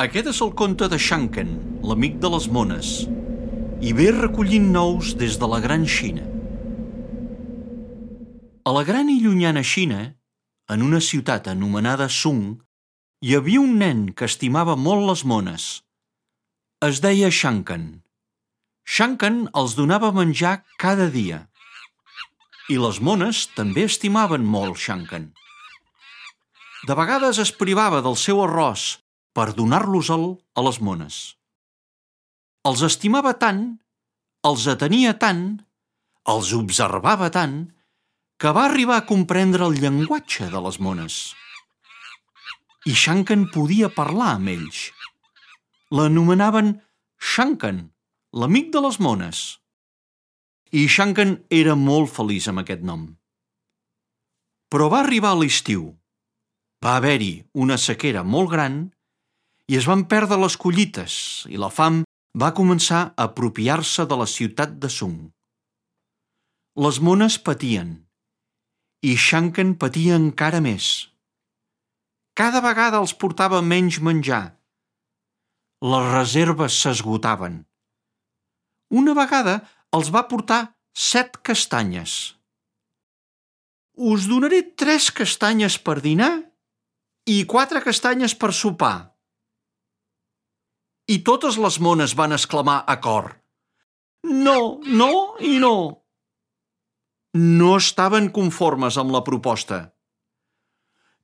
Aquest és el conte de Shanken, l'amic de les mones, i ve recollint nous des de la gran Xina. A la gran i llunyana Xina, en una ciutat anomenada Sung, hi havia un nen que estimava molt les mones. Es deia Shanken. Shanken els donava menjar cada dia. I les mones també estimaven molt Shanken. De vegades es privava del seu arròs per donar-los-el a les mones. Els estimava tant, els atenia tant, els observava tant, que va arribar a comprendre el llenguatge de les mones. I Shanken podia parlar amb ells. L'anomenaven Shanken, l'amic de les mones. I Shanken era molt feliç amb aquest nom. Però va arribar l'estiu. Va haver-hi una sequera molt gran i es van perdre les collites i la fam va començar a apropiar-se de la ciutat de Sung. Les mones patien i Shanken patia encara més. Cada vegada els portava menys menjar. Les reserves s'esgotaven. Una vegada els va portar 7 castanyes. Us donaré 3 castanyes per dinar i 4 castanyes per sopar. I totes les mones van exclamar a cor: No, no i no. No estaven conformes amb la proposta.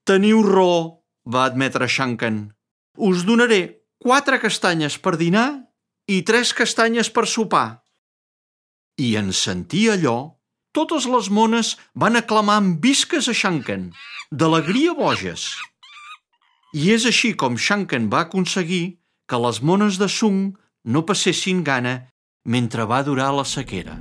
Teniu raó, va admetre Shanken. Us donaré 4 castanyes per dinar i 3 castanyes per sopar. I en sentir allò, totes les mones van aclamar amb visques a Shanken, d'alegria boges. I és així com Shanken va aconseguir que les mones de Sung no passessin gana mentre va durar la sequera.